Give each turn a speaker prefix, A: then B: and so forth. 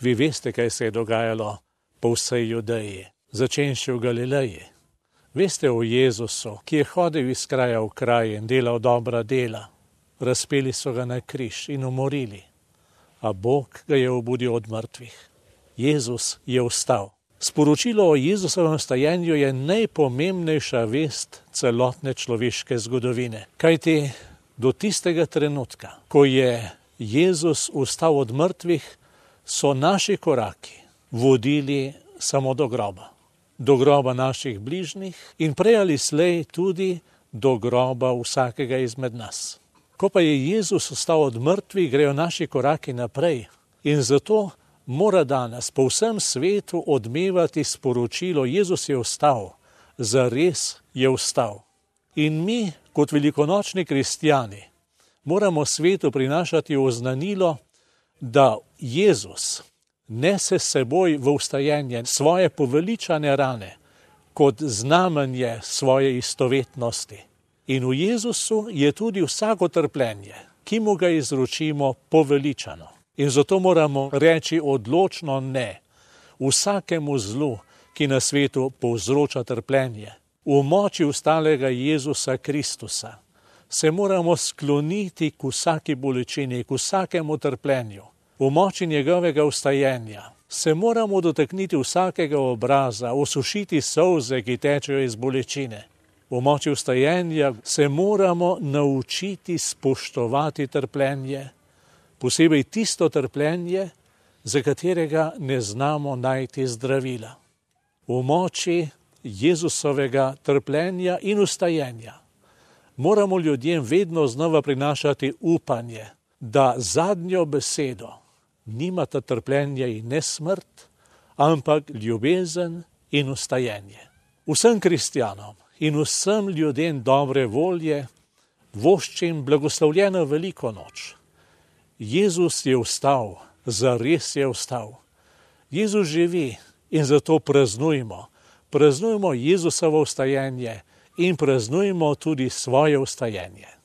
A: Vi veste, kaj se je dogajalo po vsej Judeji, začenši v Galileji. Veste o Jezusu, ki je hodil iz kraja v kraj in delal dobra dela. Razpeli so ga na križ in umorili, a Bog ga je obudil od mrtvih. Jezus je vstal. Sporočilo o Jezusovem vstajenju je najpomembnejša vest celotne človeške zgodovine. Kajti do tistega trenutka, ko je Jezus vstal od mrtvih, so naši koraki vodili samo do groba naših bližnjih in prej ali slej tudi do groba vsakega izmed nas. Ko pa je Jezus vstal od mrtvih, grejo naši koraki naprej in zato mora danes po vsem svetu odmevati sporočilo: Jezus je vstal, zares je vstal. In mi, kot velikonočni kristjani, moramo svetu prinašati oznanilo, da Jezus nese s seboj v vstajenje svoje poveličane rane kot znamenje svoje istovetnosti. In v Jezusu je tudi vsako trpljenje, ki mu ga izročimo, poveličano. In zato moramo reči odločno ne vsakemu zlu, ki na svetu povzroča trpljenje. V moči vstalega Jezusa Kristusa se moramo skloniti k vsaki bolečini, k vsakemu trpljenju. V moči njegovega vstajenja se moramo dotakniti vsakega obraza, osušiti solze, ki tečejo iz bolečine. V moči vstajenja se moramo naučiti spoštovati trpljenje, posebej tisto trpljenje, za katerega ne znamo najti zdravila. V moči Jezusovega trpljenja in vstajenja moramo ljudem vedno znova prinašati upanje, da zadnjo besedo nimata trpljenje in ne smrt, ampak ljubezen in vstajenje. Vsem kristjanom in vsem ljudem dobre volje voščim blagoslovljeno veliko noč. Jezus je vstal, zares je vstal. Jezus živi in zato praznujmo. Praznujmo Jezusovo vstajenje in praznujmo tudi svoje vstajenje.